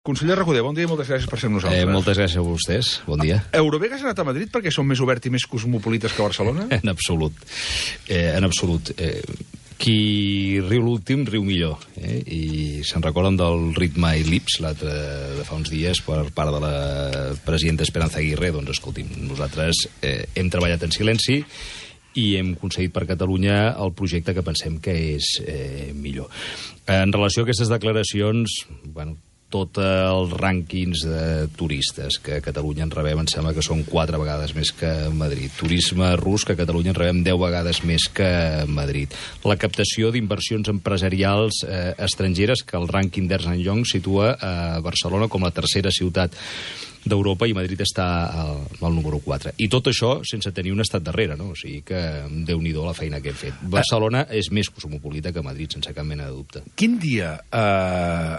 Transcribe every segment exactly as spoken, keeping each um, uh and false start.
Conseller Recoder, bon dia i moltes gràcies per ser amb nosaltres. Eh, moltes gràcies a vostès, bon dia. Eurovegas ha anat a Madrid perquè són més oberts i més cosmopolites que Barcelona? En absolut, eh, en absolut. Eh, qui riu l'últim, riu millor. Eh? I se'n recorden del ritme i lips, l'altre de fa uns dies, per part de la presidenta Esperanza Aguirre. Doncs, escolti'm, nosaltres eh, hem treballat en silenci i hem aconseguit per Catalunya el projecte que pensem que és eh, millor. En relació a aquestes declaracions, bueno, tots els rànquings de turistes que a Catalunya en rebem, em sembla que són quatre vegades més que Madrid. Turisme rus, que a Catalunya en rebem deu vegades més que Madrid. La captació d'inversions empresarials eh, estrangeres, que el rànquing d'Ernst and Young situa a Barcelona com la tercera ciutat d'Europa i Madrid està al, al número quatre. I tot això sense tenir un estat darrere, no? O sigui que déu-n'hi-do la feina que hem fet. Barcelona és més cosmopolita que Madrid, sense cap mena de dubte. Quin dia eh,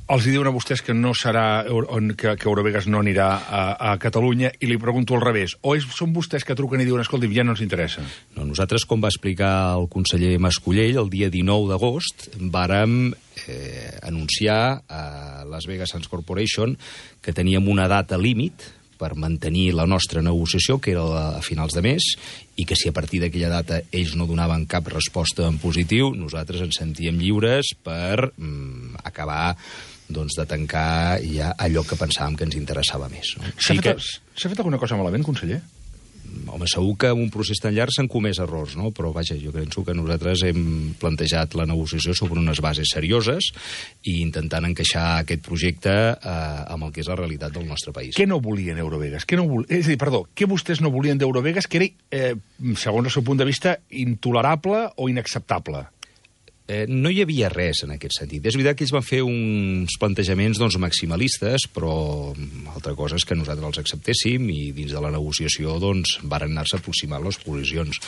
els hi diuen a vostès que no serà, que, que Eurovegas no anirà a, a Catalunya, i li pregunto al revés, o és, són vostès que truquen i diuen, escolti, ja no ens interessa? No, nosaltres, com va explicar el conseller Mascolell, el dia dinou d'agost, vàrem eh, anunciar a Las Vegas Sands Corporation que teníem una data límit per mantenir la nostra negociació, que era a finals de mes, i que si a partir d'aquella data ells no donaven cap resposta en positiu, nosaltres ens sentíem lliures per mm, acabar doncs, de tancar ja allò que pensàvem que ens interessava més. No? S'ha sí fet, que... fet alguna cosa malament, conseller? Home, segur que en un procés tan llarg s'han comès errors, no? Però vaja, jo penso que nosaltres hem plantejat la negociació sobre unes bases serioses i intentant encaixar aquest projecte eh, amb el que és la realitat del nostre país. Què no volien Eurovegas? Què no vol... És a dir, perdó, què vostès no volien d'Eurovegas que era, eh, segons el seu punt de vista, intolerable o inacceptable? Eh, no hi havia res en aquest sentit. És veritat que ells van fer uns plantejaments doncs, maximalistes, però altra cosa és que nosaltres els acceptéssim i dins de la negociació doncs, varen anar-se aproximant les posicions.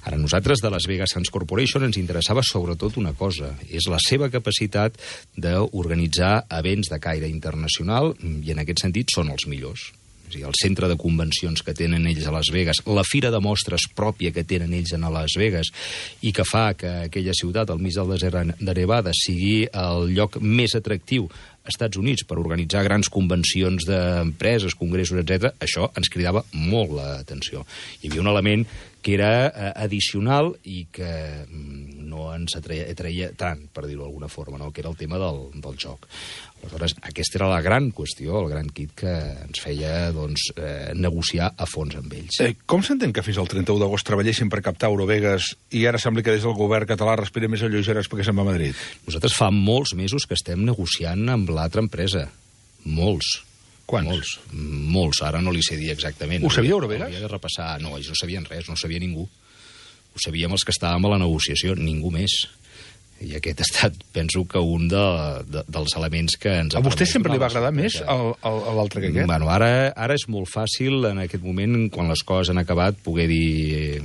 Ara, nosaltres de Las Vegas Sands Corporation ens interessava sobretot una cosa, és la seva capacitat d'organitzar events de caire internacional i en aquest sentit són els millors. És a dir, el centre de convencions que tenen ells a Las Vegas, la fira de mostres pròpia que tenen ells a Las Vegas i que fa que aquella ciutat, al mig del desert de Nevada, sigui el lloc més atractiu als Estats Units per organitzar grans convencions d'empreses, congressos, etcètera, això ens cridava molt l'atenció. Hi havia un element que era eh, addicional i que mm, no ens atreia, atreia tant, per dir-ho d'alguna forma, no? Que era el tema del, del joc. Aleshores, aquesta era la gran qüestió, el gran kit que ens feia doncs, eh, negociar a fons amb ells. Eh, com s'entén que fins al trenta-u d'agost treballessin per captar Eurovegas i ara sembla que des del govern català respira més a lleugeres perquè se'n va a Madrid? Nosaltres fa molts mesos que estem negociant amb l'altra empresa. Molts. Quants? Molts. Molts. Ara no li sé dir exactament. Ho sabia Eurovegas? Hauria de repassar. No, ells no sabien res, no sabia ningú. Ho sabíem els que estàvem a la negociació, ningú més. I aquest ha estat, penso que un de, de, dels elements que ens... A vostè sempre li va agradar més l'altre que aquest? Bueno, ara, ara és molt fàcil, en aquest moment, quan les coses han acabat, poder dir...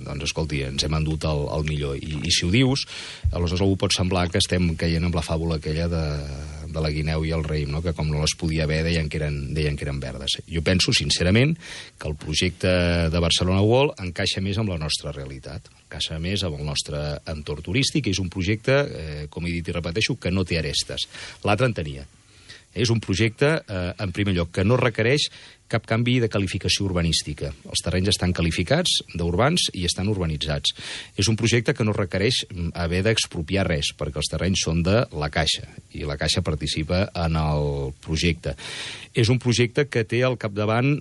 doncs, escolti, ens hem endut el, el millor. I, I si ho dius, aleshores algú pot semblar que estem caient amb la fàbula aquella de, de la guineu i el raïm, no? Que com no les podia haver deien que, eren, deien que eren verdes. Jo penso, sincerament, que el projecte de Barcelona World encaixa més amb la nostra realitat, encaixa més amb el nostre entorn turístic, i és un projecte, eh, com he dit i repeteixo, que no té arestes. L'altre en tenia. És un projecte, eh, en primer lloc, que no requereix cap canvi de qualificació urbanística. Els terrenys estan qualificats d'urbans i estan urbanitzats. És un projecte que no requereix haver d'expropiar res, perquè els terrenys són de la Caixa, i la Caixa participa en el projecte. És un projecte que té al capdavant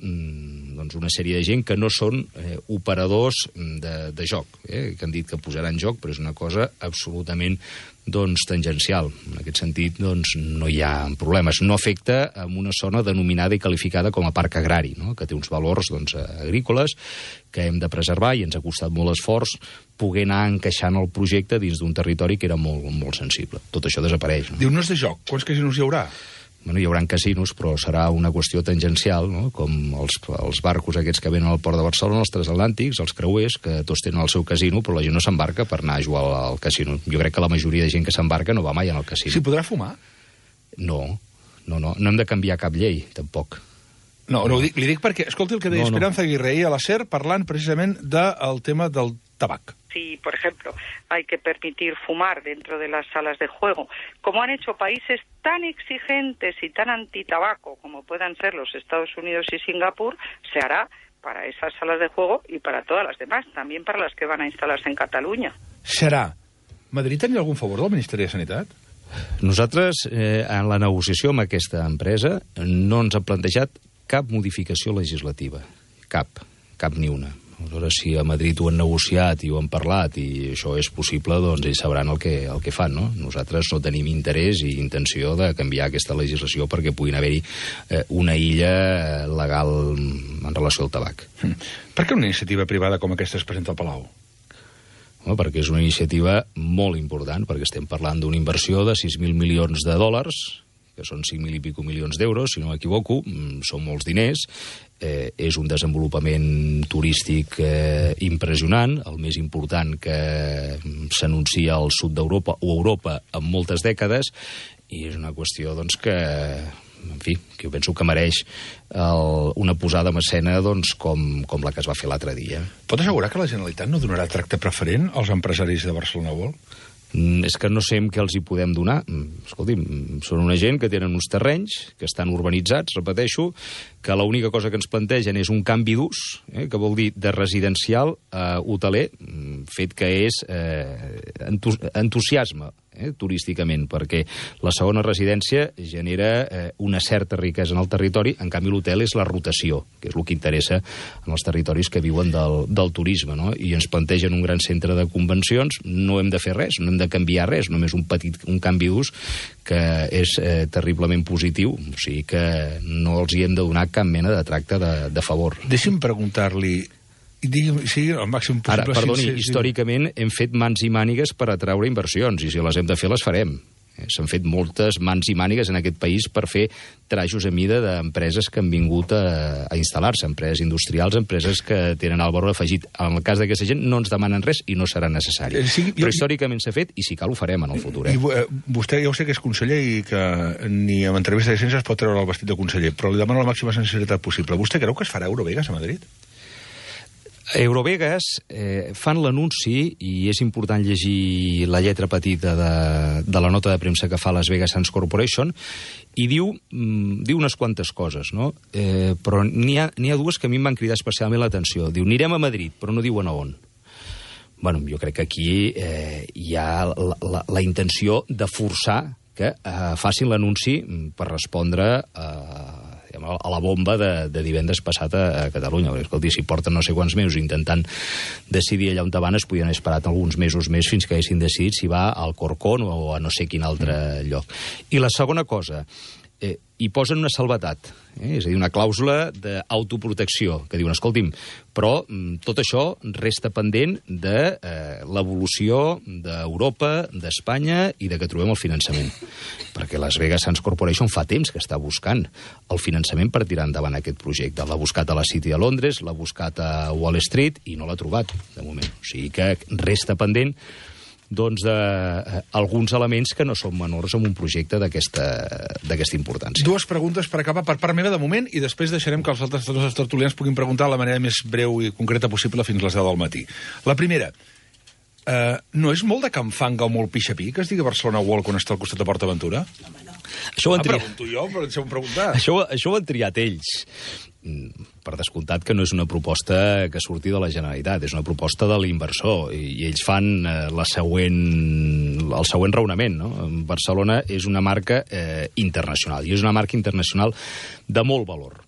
doncs, una sèrie de gent que no són eh, operadors de, de joc, eh, que han dit que posaran joc, però és una cosa absolutament doncs, tangencial. En aquest sentit, doncs, no hi ha problemes. No afecta en una zona denominada i qualificada com a parc agrari, no? Que té uns valors doncs, agrícoles que hem de preservar i ens ha costat molt esforç poder anar encaixant el projecte dins d'un territori que era molt, molt sensible. Tot això desapareix. No? Diu, no és de joc. Quants casinos hi haurà? Bueno, hi haurà casinos, però serà una qüestió tangencial, no? Com els, els barcos aquests que venen al port de Barcelona, els transatlàntics, els creuers, que tots tenen el seu casino, però la gent no s'embarca per anar a jugar al casino. Jo crec que la majoria de gent que s'embarca no va mai en el casino. S'hi podrà fumar? No, no, no. No hem de canviar cap llei, tampoc. No, no, li dic perquè, escolti el que deia no, Esperanza no. Aguirre ahir a la SER parlant precisament del tema del tabac. si, por ejemplo, hay que permitir fumar dentro de las salas de juego, como han hecho países tan exigentes y tan antitabaco como puedan ser los Estados Unidos y Singapur, se hará para esas salas de juego y para todas las demás, también para las que van a instalar-se en Catalunya. Serà. Madrid tenia algun favor del Ministeri de Sanitat? Nosaltres, eh, en la negociació amb aquesta empresa, no ens han plantejat cap modificació legislativa. Cap. Cap ni una. Aleshores, si a Madrid ho han negociat i ho han parlat i això és possible, doncs ells sabran el que, el que fan, no? Nosaltres no tenim interès i intenció de canviar aquesta legislació perquè puguin haver-hi eh, una illa legal en relació al tabac. Mm. Per què una iniciativa privada com aquesta es presenta al Palau? Home, perquè és una iniciativa molt important, perquè estem parlant d'una inversió de sis mil milions de dòlars, que són cinc mil i pico milions d'euros, si no m'equivoco, són molts diners, eh, és un desenvolupament turístic eh, impressionant, el més important que s'anuncia al sud d'Europa o Europa en moltes dècades, i és una qüestió doncs, que, en fi, que jo penso que mereix el, una posada en escena doncs, com, com la que es va fer l'altre dia. Pot assegurar que la Generalitat no donarà tracte preferent als empresaris de Barcelona World? És que no sé què els hi podem donar. Escolti'm, són una gent que tenen uns terrenys, que estan urbanitzats, repeteixo, que l'única cosa que ens plantegen és un canvi d'ús, eh, que vol dir de residencial a hoteler, fet que és eh, entus entusiasme eh, turísticament, perquè la segona residència genera eh, una certa riquesa en el territori, en canvi l'hotel és la rotació, que és el que interessa en els territoris que viuen del, del turisme, no? I ens plantegen un gran centre de convencions, no hem de fer res, no hem de canviar res, només un petit un canvi d'ús que és eh, terriblement positiu, o sigui que no els hi hem de donar cap mena de tracte de, de favor. Deixi'm preguntar-li, digui'm, sí, el màxim possible... Ara, perdoni, sí, sí, històricament hem fet mans i mànigues per atraure inversions, i si les hem de fer, les farem. S'han fet moltes mans i mànigues en aquest país per fer trajos a mida d'empreses que han vingut a, a instal·lar-se, empreses industrials, empreses que tenen el valor afegit. En el cas d'aquesta gent no ens demanen res i no serà necessari. Eh, sí, Però jo, històricament s'ha fet i si cal ho farem en el futur. Eh? I, eh, vostè ja ho sé que és conseller i que ni amb entrevista de ciència es pot treure el vestit de conseller, però li demano la màxima sinceritat possible. Vostè creu que es farà Eurovegas a Madrid? Eurovegas eh, fan l'anunci, i és important llegir la lletra petita de, de la nota de premsa que fa Las Vegas Sands Corporation, i diu, mm, diu unes quantes coses, no? Eh, però n'hi ha, n'hi ha dues que a mi em van cridar especialment l'atenció. Diu, anirem a Madrid, però no diuen a on. Bueno, jo crec que aquí eh, hi ha la, la, la intenció de forçar que eh, facin l'anunci per respondre a... a la bomba de, de divendres passat a, a Catalunya. Escolti, si porten no sé quants mesos intentant decidir allà on van, es podien haver esperat alguns mesos més fins que haguessin decidit si va al Corcón o a no sé quin altre lloc. I la segona cosa, eh, hi posen una salvetat, eh? És a dir, una clàusula d'autoprotecció, que diuen, escolti'm, però mm, tot això resta pendent de eh, l'evolució d'Europa, d'Espanya i de que trobem el finançament. Perquè Las Vegas Sands Corporation fa temps que està buscant el finançament per tirar endavant aquest projecte. L'ha buscat a la City de Londres, l'ha buscat a Wall Street i no l'ha trobat, de moment. O sigui que resta pendent doncs, de, eh, alguns elements que no són menors en un projecte d'aquesta importància. Dues preguntes per acabar per part meva de moment i després deixarem que els altres dos tertulians puguin preguntar de la manera més breu i concreta possible fins a les deu del matí. La primera, eh, no és molt de canfanga o molt pixapí que es digui Barcelona World quan està al costat de PortAventura? Això ho han ah, triat... pregunto jo, però deixeu-me preguntar. Això, això ho han triat ells. Per descomptat que no és una proposta que surti de la Generalitat, és una proposta de l'inversor, i ells fan eh, la següent, el següent raonament, no? Barcelona és una marca eh, internacional, i és una marca internacional de molt valor,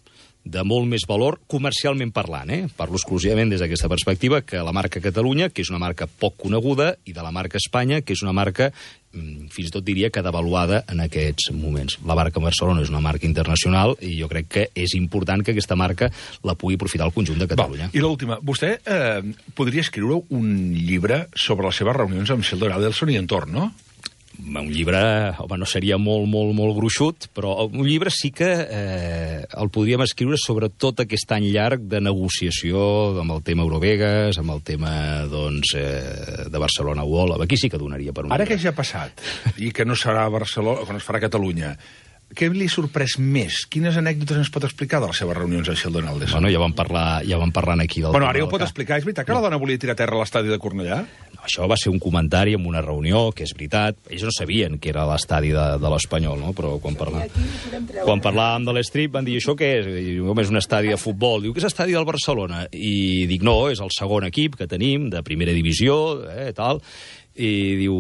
de molt més valor comercialment parlant, eh? Parlo exclusivament des d'aquesta perspectiva, que la marca Catalunya, que és una marca poc coneguda, i de la marca Espanya, que és una marca fins i tot diria que devaluada en aquests moments. La marca Barcelona és una marca internacional i jo crec que és important que aquesta marca la pugui aprofitar el conjunt de Catalunya. Va, i l'última, vostè eh, podria escriure un llibre sobre les seves reunions amb Sheldon Adelson i entorn, no? Un llibre, home, no seria molt, molt, molt gruixut, però un llibre sí que eh, el podríem escriure sobre tot aquest any llarg de negociació amb el tema Eurovegas, amb el tema, doncs, eh, de Barcelona World. Aquí sí que donaria per un Ara llibre. que ja ha passat, i que no serà a Barcelona, que no es farà a Catalunya, què li ha sorprès més? Quines anècdotes ens pot explicar de les seves reunions a Sheldon Adelson? Bueno, ja vam parlar, ja vam parlar aquí del... Bueno, ara ja ho pot explicar. És veritat que la dona volia tirar a terra a l'estadi de Cornellà? No, això va ser un comentari en una reunió, que és veritat. Ells no sabien que era l'estadi de, de l'Espanyol, no? Però quan, parla... quan parlàvem de l'Strip van dir, això què és? I diu, home, és un estadi de futbol. Diu, que és l'estadi del Barcelona? I dic, no, és el segon equip que tenim, de primera divisió, eh, tal... I diu,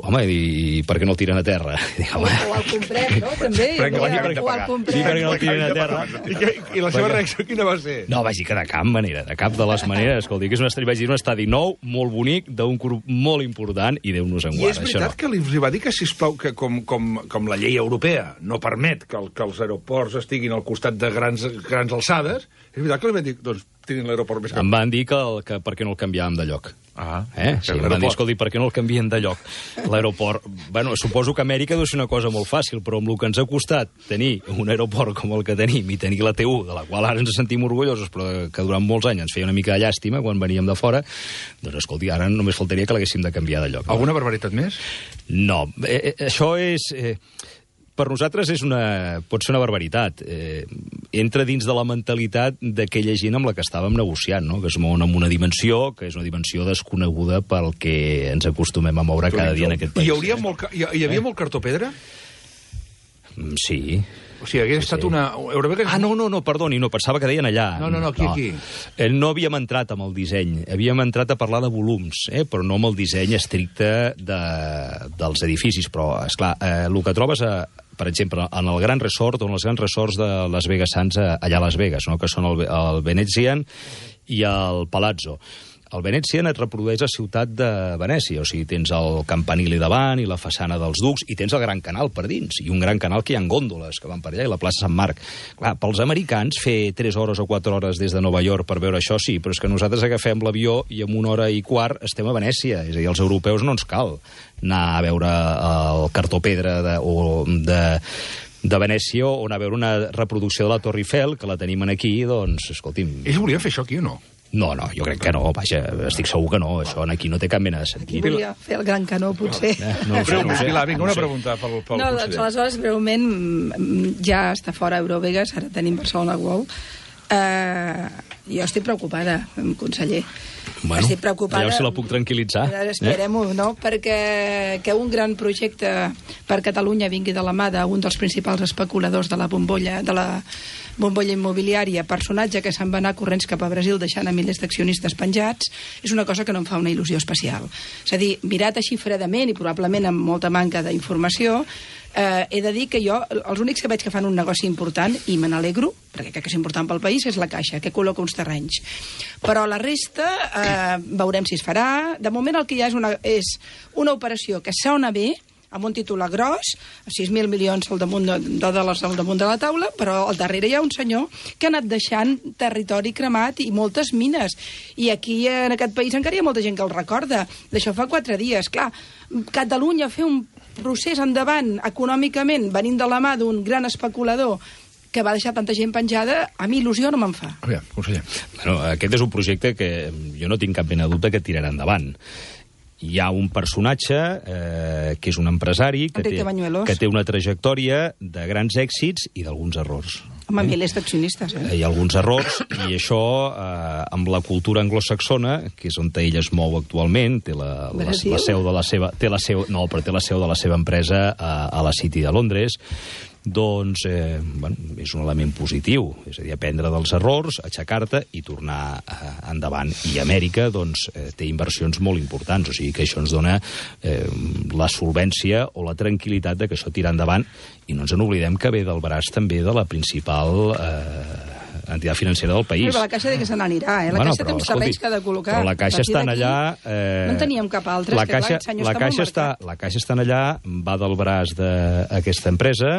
home, i per què no el tiren a terra? Dic, o, o el comprem, no? També. Perquè o, l'any o el comprem. Sí, perquè no el tiren a terra. I, que, I la seva reacció quina va ser? No, vaig dir que de cap manera, de cap de les maneres. Escolti, que és un estadi, vaig dir, un estadi nou, molt bonic, d'un grup molt important, i Déu-nos en I guarda. és veritat no. que li va dir que, sisplau, que com, com, com la llei europea no permet que, el, que els aeroports estiguin al costat de grans, grans alçades, és veritat que li van dir, doncs, tirin l'aeroport més cap. Em van dir que, el, que per què no el canviàvem de lloc. Ah, eh? Sí, em van dir, escolti, per què no el canvien de lloc? L'aeroport... Bueno, suposo que Amèrica deu ser una cosa molt fàcil, però amb el que ens ha costat tenir un aeroport com el que tenim i tenir la T u, de la qual ara ens sentim orgullosos, però que durant molts anys ens feia una mica de llàstima quan veníem de fora, doncs, escolti, ara només faltaria que l'haguéssim de canviar de lloc. Alguna barbaritat més? No, eh, eh, això és... Eh, per nosaltres és una, pot ser una barbaritat. Eh, entra dins de la mentalitat d'aquella gent amb la que estàvem negociant, no? Que es mouen en una dimensió, que és una dimensió desconeguda pel que ens acostumem a moure cada dia en aquest país. Hi, hauria molt, hi, hi havia eh? molt cartó-pedra? Sí. O sigui, hagués sí, estat sí. una... Eurovegas... Ah, no, no, no, perdoni, no, pensava que deien allà. No, no, no, aquí, no. aquí. Eh, no havíem entrat amb el disseny, havíem entrat a parlar de volums, eh, però no amb el disseny estricte de, dels edificis, però, esclar, eh, el que trobes a... per exemple, en el Gran Resort o en els grans resorts de Las Vegas Sands allà a Las Vegas, no? Que són el, el Venetian i el Palazzo. El Venetian et reprodueix la ciutat de Venècia, o sigui, tens el campanili davant i la façana dels ducs, i tens el Gran Canal per dins, i un Gran Canal que hi ha gòndoles que van per allà, i la plaça Sant Marc. Clar, pels americans, fer tres hores o quatre hores des de Nova York per veure això, sí, però és que nosaltres agafem l'avió i en una hora i quart estem a Venècia, és a dir, als europeus no ens cal anar a veure el cartó-pedra de, o de... de Venècia o anar a veure una reproducció de la Torre Eiffel, que la tenim aquí, doncs, escolti'm... Ells volien fer això aquí o no? No, no, jo crec que no, vaja, estic segur que no, això aquí no té cap mena de sentit. Aquí volia fer el gran canó, potser. No, eh, no, Però, no, no sé. Pilar, vinga, una pregunta pel, pel no, conseller. doncs, aleshores, breument, ja està fora Eurovegas, ara tenim Barcelona World. Uh, jo estic preocupada, conseller. Bueno, estic preocupada. allò si la puc tranquil·litzar. Esperem-ho, eh? no? Perquè que un gran projecte per Catalunya vingui de la mà d'un dels principals especuladors de la bombolla, de la bombolla immobiliària, personatge que se'n va anar corrents cap a Brasil deixant a milers d'accionistes penjats, és una cosa que no em fa una il·lusió especial. És a dir, mirat així fredament i probablement amb molta manca d'informació, eh, he de dir que jo, els únics que veig que fan un negoci important, i me n'alegro, perquè crec que és important pel país, és la Caixa, que col·loca uns terrenys. Però la resta, eh, veurem si es farà. De moment el que hi ha és una, és una operació que sona bé, amb un titular gros, sis mil milions al damunt de, de dòlars al damunt de la taula, però al darrere hi ha un senyor que ha anat deixant territori cremat i moltes mines. I aquí, en aquest país, encara hi ha molta gent que el recorda. D'això fa quatre dies. Clar, Catalunya fer un procés endavant econòmicament, venint de la mà d'un gran especulador que va deixar tanta gent penjada, a mi il·lusió no me'n fa. Aviam, conseller. Bueno, aquest és un projecte que jo no tinc cap mena de dubte que tirarà endavant. Hi ha un personatge eh, que és un empresari que té, que té una trajectòria de grans èxits i d'alguns errors. Home, eh? milers d'accionistes, eh? Hi ha alguns errors, i això, eh, amb la cultura anglosaxona, que és on ell es mou actualment, té la, la, la seu de la seva... Té la seu, no, però té la seu de la seva empresa a, a la City de Londres, doncs eh, bueno, és un element positiu, és a dir, aprendre dels errors, aixecar-te i tornar eh, endavant. I Amèrica doncs, eh, té inversions molt importants, o sigui que això ens dona eh, la solvència o la tranquil·litat de que això tira endavant, i no ens n'oblidem que ve del braç també de la principal eh, entitat financera del país. Però la Caixa de que se n'anirà, eh? La bueno, Caixa però, té uns terrenys que ha de col·locar. Però la Caixa està allà... Eh, no en teníem cap altre, la que Caixa, clar, senyor la està Caixa molt està, marcat. La Caixa està allà, va del braç d'aquesta empresa,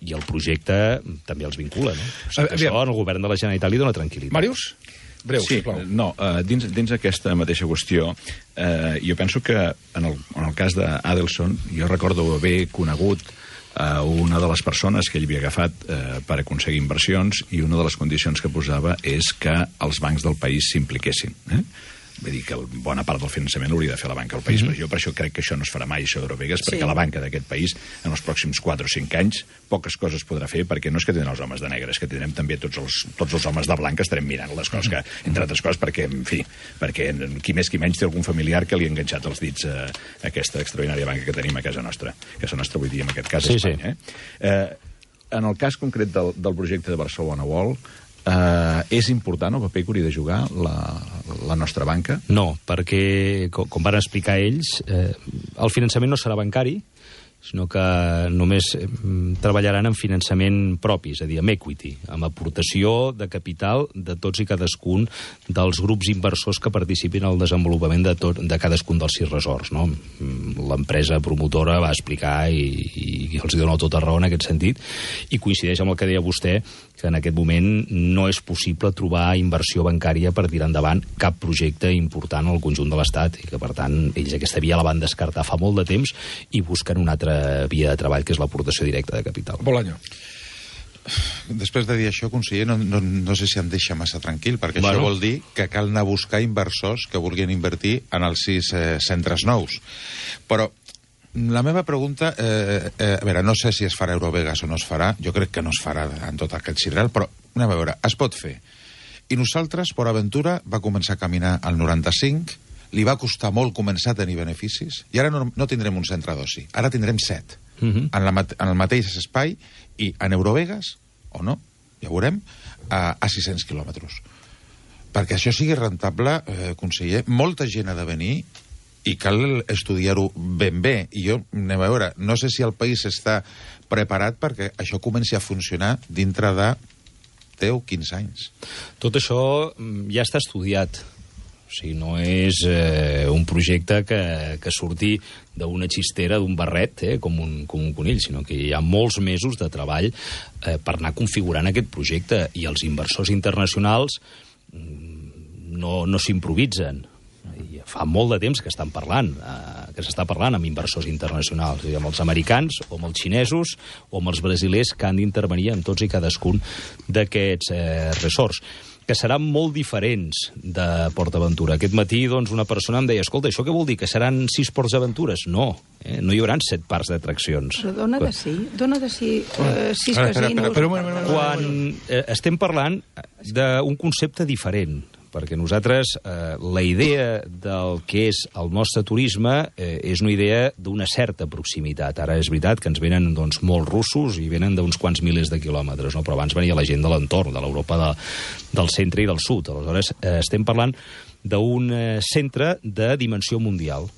i el projecte també els vincula, no? O sigui, això al govern de la Generalitat li dona tranquil·litat. Màrius? Breu, sí, sisplau. no, uh, dins, dins aquesta mateixa qüestió, uh, jo penso que en el, en el cas d'Adelson, jo recordo haver conegut uh, una de les persones que ell havia agafat uh, per aconseguir inversions, i una de les condicions que posava és que els bancs del país s'impliquessin. Eh? vull dir que bona part del finançament hauria de fer la banca del país, mm -hmm. però jo per això crec que això no es farà mai, això d'Eurovegas, perquè sí. La banca d'aquest país, en els pròxims quatre o cinc anys, poques coses podrà fer, perquè no és que tindrem els homes de negre, és que tindrem també tots els, tots els homes de blanc que estarem mirant les coses, que, entre altres coses, perquè, en fi, perquè qui més qui menys té algun familiar que li ha enganxat els dits a aquesta extraordinària banca que tenim a casa nostra. A casa nostra, vull dir, en aquest cas, sí, Espanya. Sí. Eh? Eh, en el cas concret del, del projecte de Barcelona World, Uh, és important el paper que hauria de jugar la, la nostra banca? No, perquè, com, com van explicar ells, eh, el finançament no serà bancari, sinó que només eh, treballaran en finançament propi, és a dir, amb equity, amb aportació de capital de tots i cadascun dels grups inversors que participin al desenvolupament de, tot, de cadascun dels sis resorts. No? L'empresa promotora va explicar i, i els dona tota raó en aquest sentit, i coincideix amb el que deia vostè, que en aquest moment no és possible trobar inversió bancària per tirar endavant cap projecte important al conjunt de l'Estat, i que, per tant, ells aquesta via la van descartar fa molt de temps i busquen una altra via de treball, que és l'aportació directa de capital. Bolaño. Després de dir això, conseller, no, no, no sé si em deixa massa tranquil, perquè bueno. Això vol dir que cal anar a buscar inversors que vulguin invertir en els sis eh, centres nous. Però la meva pregunta, eh, eh, a veure, no sé si es farà Eurovegas o no es farà, jo crec que no es farà en tot aquest sidral, però anem a veure, es pot fer. I nosaltres, Port Aventura, va començar a caminar al noranta-cinc, li va costar molt començar a tenir beneficis, i ara no, no tindrem un centre d'oci, ara tindrem set, uh-huh. en, la, en el mateix espai, i en Eurovegas, o no, ja ho veurem, a, a sis-cents quilòmetres. Perquè això sigui rentable, eh, conseller, molta gent ha de venir, i cal estudiar-ho ben bé. I jo, anem a veure, no sé si el país està preparat perquè això comenci a funcionar dintre de deu o quinze anys. Tot això ja està estudiat. O sigui, no és eh, un projecte que, que surti d'una xistera, d'un barret, eh, com, un, com un conill, sinó que hi ha molts mesos de treball eh, per anar configurant aquest projecte, i els inversors internacionals no, no s'improvisen. I fa molt de temps que estan parlant, eh, que s'està parlant amb inversors internacionals, amb els americans, o amb els xinesos, o amb els brasilers, que han d'intervenir en tots i cadascun d'aquests eh, resorts, que seran molt diferents de Port Aventura. Aquest matí, doncs, una persona em deia, escolta, això què vol dir, que seran sis Ports Aventures? No, eh? No hi haurà set parcs d'atraccions. Però dona de sí, dona de sí, eh, sis casinos. Quan eh, estem parlant d'un concepte diferent, perquè nosaltres eh, la idea del que és el nostre turisme eh, és una idea d'una certa proximitat. Ara és veritat que ens venen doncs, molts russos i venen d'uns quants milers de quilòmetres, no? Però abans venia la gent de l'entorn, de l'Europa de, del centre i del sud. Aleshores, eh, estem parlant d'un eh, centre de dimensió mundial,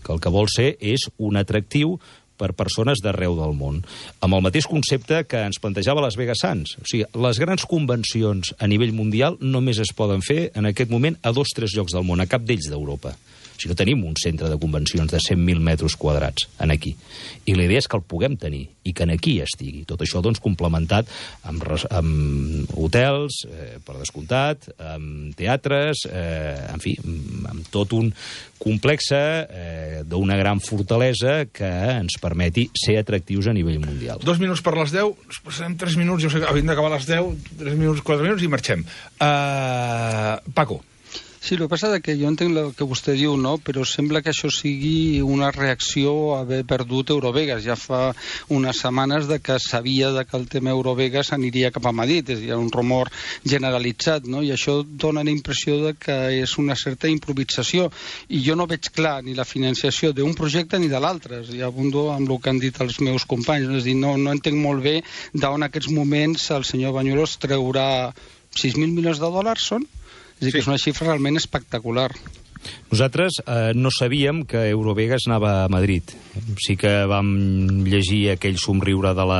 que el que vol ser és un atractiu per persones d'arreu del món, amb el mateix concepte que ens plantejava Las Vegas Sands. O sigui, les grans convencions a nivell mundial només es poden fer en aquest moment a dos o tres llocs del món, a cap d'ells d'Europa. Si no tenim un centre de convencions de cent mil metres quadrats en aquí. I la idea és que el puguem tenir i que en aquí estigui. Tot això, doncs, complementat amb, amb hotels, eh, per descomptat, amb teatres, eh, en fi, amb tot un complex eh, d'una gran fortalesa que ens permeti ser atractius a nivell mundial. Dos minuts per les deu, passarem tres minuts, jo sé que havim d'acabar a les deu, tres minuts, quatre minuts i marxem. Uh, Paco. Sí, el que passa és que jo entenc el que vostè diu, no? Però sembla que això sigui una reacció a haver perdut Eurovegas. Ja fa unes setmanes de que sabia de que el tema Eurovegas aniria cap a Madrid. Hi ha un rumor generalitzat, no? I això dona la impressió de que és una certa improvisació. I jo no veig clar ni la financiació d'un projecte ni de l'altre. I abundo amb el que han dit els meus companys. És a dir, no, no entenc molt bé d'on en aquests moments el senyor Bañuelos treurà sis mil milions de dòlars, són? És a dir, que és una xifra realment espectacular. Nosaltres eh, no sabíem que Eurovegas anava a Madrid. Sí que vam llegir aquell somriure de la,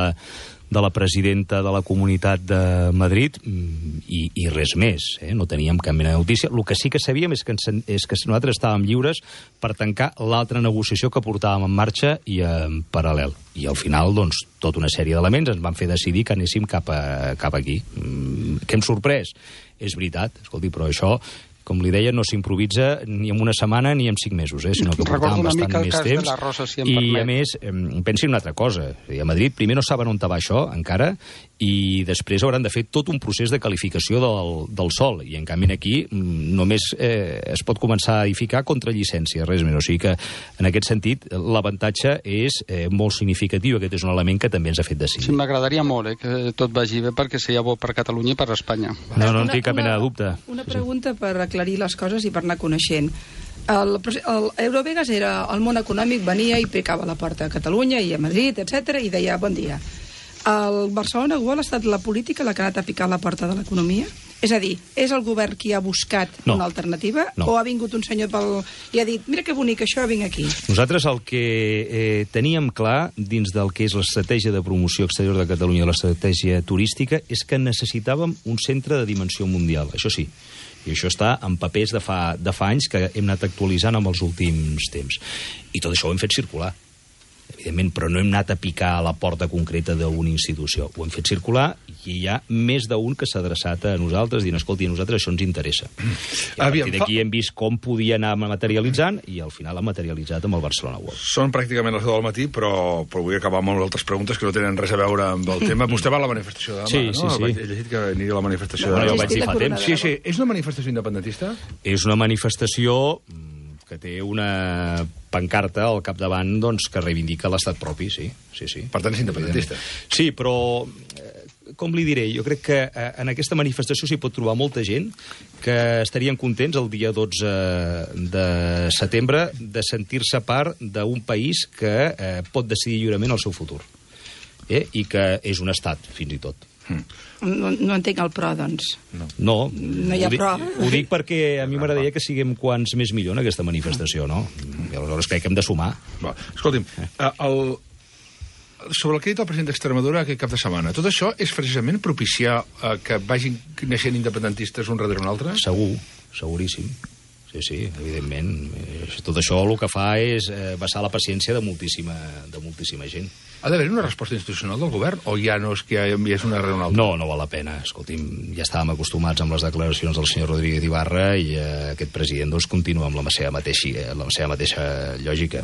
de la presidenta de la Comunitat de Madrid i, i res més. Eh? No teníem cap mena de notícia. El que sí que sabíem és que, ens, és que nosaltres estàvem lliures per tancar l'altra negociació que portàvem en marxa i en paral·lel. I al final, doncs, tota una sèrie d'elements ens van fer decidir que anéssim cap, a, cap aquí. Mm, què hem sorprès? És veritat, escolti, però això com li deia, no s'improvisa ni en una setmana ni en cinc mesos, eh, sinó que portàvem bastant més temps. Rosa, si I, permet. a més, pensi en una altra cosa. A Madrid primer no saben on va això, encara, i després hauran de fer tot un procés de qualificació del, del sòl. I, en canvi, aquí només eh, es pot començar a edificar contra llicència, res més. O sigui que, en aquest sentit, l'avantatge és eh, molt significatiu. Aquest és un element que també ens ha fet decidir. Sí, m'agradaria molt eh, que tot vagi bé perquè seria bo per Catalunya i per Espanya. No, no en tinc cap mena de dubte. Una pregunta per aclarir les coses i per anar coneixent. El, el Eurovegas era el món econòmic, venia i picava la porta a Catalunya i a Madrid, etcètera, i deia bon dia. El Barcelona World ha estat la política la que ha anat a picar la porta de l'economia? És a dir, és el govern qui ha buscat no. una alternativa? No. O ha vingut un senyor pel... i ha dit, mira que bonic això, vinc aquí? Nosaltres el que eh, teníem clar dins del que és l'estratègia de promoció exterior de Catalunya, l'estratègia turística, és que necessitàvem un centre de dimensió mundial, això sí. I això està en papers de fa, de fa anys que hem anat actualitzant amb els últims temps. I tot això ho hem fet circular, evidentment, però no hem anat a picar a la porta concreta d'una institució. Ho hem fet circular i hi ha més d'un que s'ha adreçat a nosaltres dient, escolti, a nosaltres això ens interessa. I a partir d'aquí hem vist com podia anar materialitzant i al final ha materialitzat amb el Barcelona World. Són pràcticament les deu del matí, però, però vull acabar amb altres preguntes que no tenen res a veure amb el tema. Vostè va a la manifestació de demà, sí, no? Sí, sí. He llegit que aniria a la manifestació no, de demà. Jo vaig dir fa temps. Sí, sí. És una manifestació independentista? És una manifestació que té una pancarta al capdavant doncs, que reivindica l'estat propi, sí. sí, sí. Per tant, és independentista. Sí, però, eh, com li diré, jo crec que eh, en aquesta manifestació s'hi pot trobar molta gent que estarien contents el dia dotze de setembre de sentir-se part d'un país que eh, pot decidir lliurement el seu futur. Eh? I que és un estat, fins i tot. Mm. No, no entenc el pro, doncs. No, no, no hi ha ho dic, pro. Ho dic perquè a mi m'agradaria que siguem quants més millor en aquesta manifestació, no? I aleshores crec que hem de sumar. Va, escolti'm, el, sobre el que ha dit el president d'Extremadura aquest cap de setmana, tot això és precisament propiciar eh, que vagin naixent independentistes un darrere un altre? Segur, seguríssim. Sí, sí, evidentment. Tot això el que fa és eh, vessar la paciència de moltíssima, de moltíssima gent. Ha d'haver una resposta institucional del govern o ja no és que ja és una darrere una altra? No, no val la pena. Escolti'm, ja estàvem acostumats amb les declaracions del senyor Rodríguez Ibarra i eh, aquest president doncs, continua amb la seva mateixa, la seva mateixa lògica.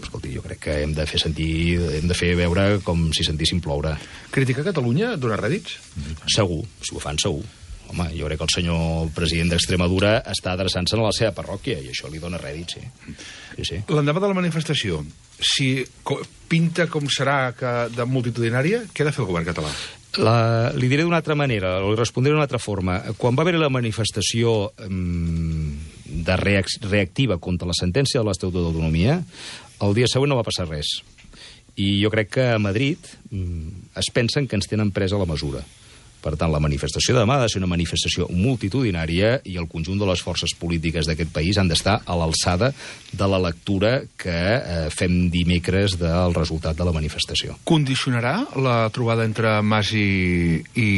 Escolti, jo crec que hem de fer sentir, hem de fer veure com si sentíssim ploure. Criticar Catalunya dona rèdits? Segur, si ho fan segur. Home, jo crec que el senyor president d'Extremadura està adreçant-se a la seva parròquia i això li dona rèdit, sí. sí, sí. L'endemà de la manifestació, si pinta com serà que de multitudinària, què ha de fer el govern català? La, li diré d'una altra manera, li respondré d'una altra forma. Quan va haver la manifestació um, de reac reactiva contra la sentència de l'Estatut d'autonomia, el dia següent no va passar res. I jo crec que a Madrid um, es pensen que ens tenen presa la mesura. Per tant, la manifestació de demà ha de ser una manifestació multitudinària i el conjunt de les forces polítiques d'aquest país han d'estar a l'alçada de la lectura que eh, fem dimecres del resultat de la manifestació. Condicionarà la trobada entre Mas i, i,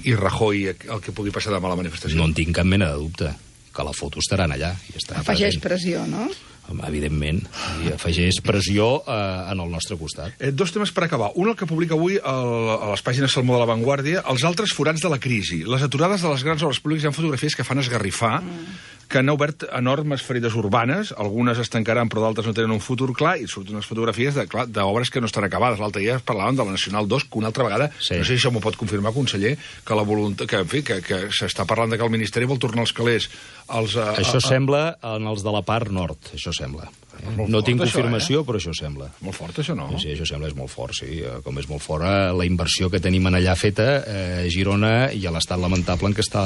i Rajoy el que pugui passar demà a la manifestació? No en tinc cap mena de dubte, que la foto estaran allà. I estarà Afegeix present. pressió, no? Evidentment, i afegeix pressió eh, en el nostre costat. Eh, dos temes per acabar. Un, el que publica avui el, a les pàgines Salmó de la Vanguardia, els altres forats de la crisi. Les aturades de les grans obres públiques hi ha fotografies que fan esgarrifar, mm. que han obert enormes ferides urbanes, algunes es tancaran però d'altres no tenen un futur clar, i surten unes fotografies d'obres que no estan acabades. L'altre dia parlaven de la Nacional dos, que una altra vegada, sí. No sé si això m'ho pot confirmar, conseller, que la voluntat, que, en fi, que, que s'està parlant de que el Ministeri vol tornar els calés als... A, a, això a... sembla en els de la part nord, això sembla. Eh? No fort, tinc això, confirmació, eh? però això sembla. Molt fort, això, no? Sí, sí, això sembla, és molt fort, sí. Com és molt fora la inversió que tenim en allà feta eh, a Girona i a l'estat lamentable en què està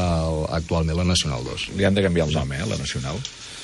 actualment la Nacional dos. Li han de canviar el nom, eh, la Nacional,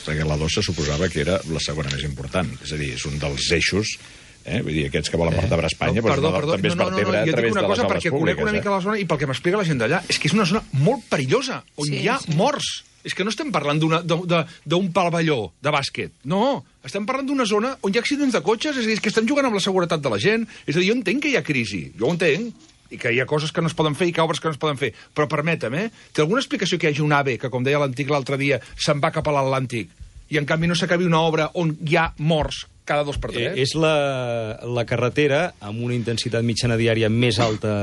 perquè la dos se suposava que era la segona més important. És a dir, és un dels eixos, eh? Vull dir, aquests que volen vertebrar Espanya, no, perdó, doncs, perdó, també es no, no, vertebra no, no, a través de les cosa, obres perquè públiques. Conec una mica eh? la zona i pel que m'explica la gent d'allà, és que és una zona molt perillosa, on sí, hi ha sí. morts. És que no estem parlant d'un pavelló de bàsquet. No, estem parlant d'una zona on hi ha accidents de cotxes, és a dir, que estem jugant amb la seguretat de la gent. És a dir, jo entenc que hi ha crisi, jo ho entenc, i que hi ha coses que no es poden fer i que obres que no es poden fer. Però permetem, eh? Té alguna explicació que hi hagi un AVE que, com deia l'Antic l'altre dia, se'n va cap a l'Atlàntic i, en canvi, no s'acabi una obra on hi ha morts cada dos per tres? Eh, és la, la carretera amb una intensitat mitjana diària més alta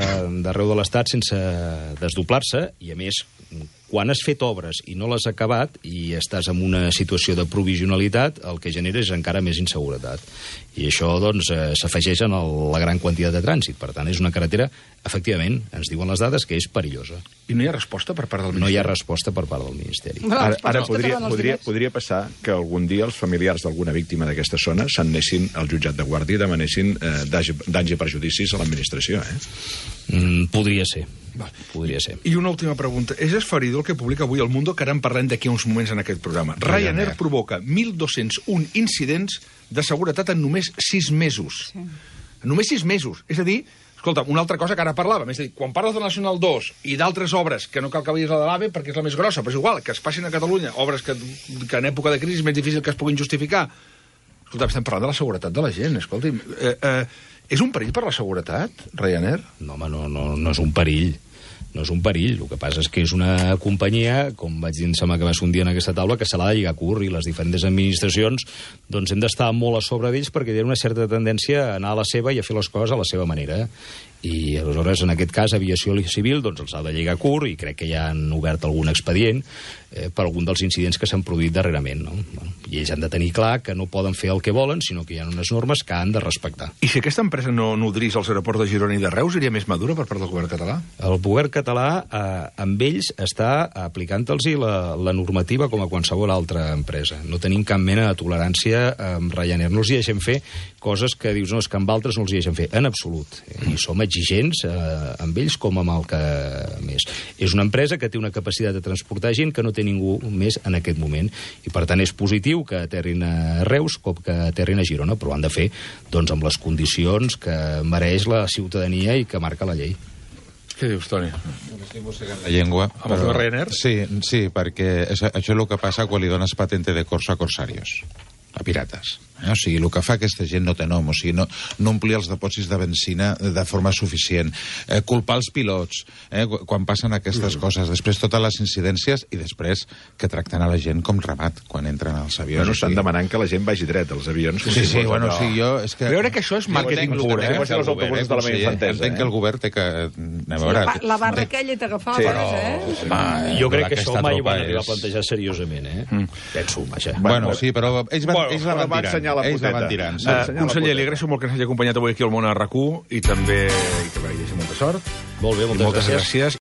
d'arreu de l'Estat sense desdoblar-se i, a més, quan has fet obres i no les has acabat i estàs en una situació de provisionalitat, el que genera és encara més inseguretat. I això, doncs, eh, s'afegeix en el, la gran quantitat de trànsit. Per tant, és una carretera, efectivament, ens diuen les dades, que és perillosa. I no hi ha resposta per part del Ministeri? No hi ha resposta per part del Ministeri. Bueno, Ara, ara els podria, que podria, diners. podria passar que algun dia els familiars d'alguna víctima d'aquesta zona s'anessin al jutjat de guàrdia i demanessin eh, danys i perjudicis a l'administració, eh? Mm, podria ser. Val. Podria ser. I una última pregunta. És esferidor el que publica avui El Mundo, que ara en parlem d'aquí uns moments en aquest programa. Ryanair, Ryanair provoca mil dos-cents un incidents de seguretat en només sis mesos. Sí. En només sis mesos. És a dir, escolta, una altra cosa que ara parlàvem, és a dir, quan parles de Nacional dos i d'altres obres, que no cal que veies la de l'AVE perquè és la més grossa, però és igual, que es passin a Catalunya, obres que, que en època de crisi és més difícil que es puguin justificar. Escolta, estem parlant de la seguretat de la gent, escolti. Eh, eh, és un perill per la seguretat, Ryanair? No, home, no, no, no és un perill. No és un perill, el que passa és que és una companyia, com vaig dir, em sembla que va ser un dia en aquesta taula, que se l'ha de lligar curt, i les diferents administracions doncs hem d'estar molt a sobre d'ells perquè hi ha una certa tendència a anar a la seva i a fer les coses a la seva manera. I aleshores, en aquest cas, Aviació Civil doncs els ha de lligar curt i crec que ja han obert algun expedient eh, per algun dels incidents que s'han produït darrerament. No? Bueno, i ells han de tenir clar que no poden fer el que volen, sinó que hi ha unes normes que han de respectar. I si aquesta empresa no nodrís els aeroports de Girona i de Reus, seria més madura per part del govern català? El govern català, eh, amb ells, està aplicant-los la, la normativa com a qualsevol altra empresa. No tenim cap mena de tolerància amb Ryanair. No els hi deixem fer coses que dius, no, és que amb altres no els hi deixem fer. En absolut. I som exigents eh, amb ells com amb el que més. És una empresa que té una capacitat de transportar gent que no té ningú més en aquest moment. I, per tant, és positiu que aterrin a Reus com que aterrin a Girona, però ho han de fer doncs, amb les condicions que mereix la ciutadania i que marca la llei. Què dius, Toni? La llengua. Amb el Ryanair? Sí, sí, perquè això, això és el que passa quan li dones patente de corso a corsarios, a pirates. Eh? O sigui, el que fa aquesta gent no té nom, o sigui, no, no omplir els depòsits de benzina de forma suficient, eh, culpar els pilots eh, quan passen aquestes mm. coses, després totes les incidències i després que tracten a la gent com ramat quan entren als avions. Bueno, estan demanant que la gent vagi dret als avions. Sí, sí, sí, bueno, o sigui, jo... És que... Jo crec que això és màrqueting pur, eh? Que els autobusos de la meva infantesa. Entenc que el govern té que... A veure, la, la barra aquella t'agafava, sí, però, eh? Sí, home, jo crec que això mai ho van és... arribar a plantejar seriosament, eh? Mm. Penso, vaja. Bueno, sí, però ells, van, bueno, ells la van tirant. La ells la van tirant. Sí. Uh, conseller, li agraeixo molt que ens hagi acompanyat avui aquí al Món a RAC u i també i que vagi molta sort. Molt bé, moltes, moltes gràcies. gràcies.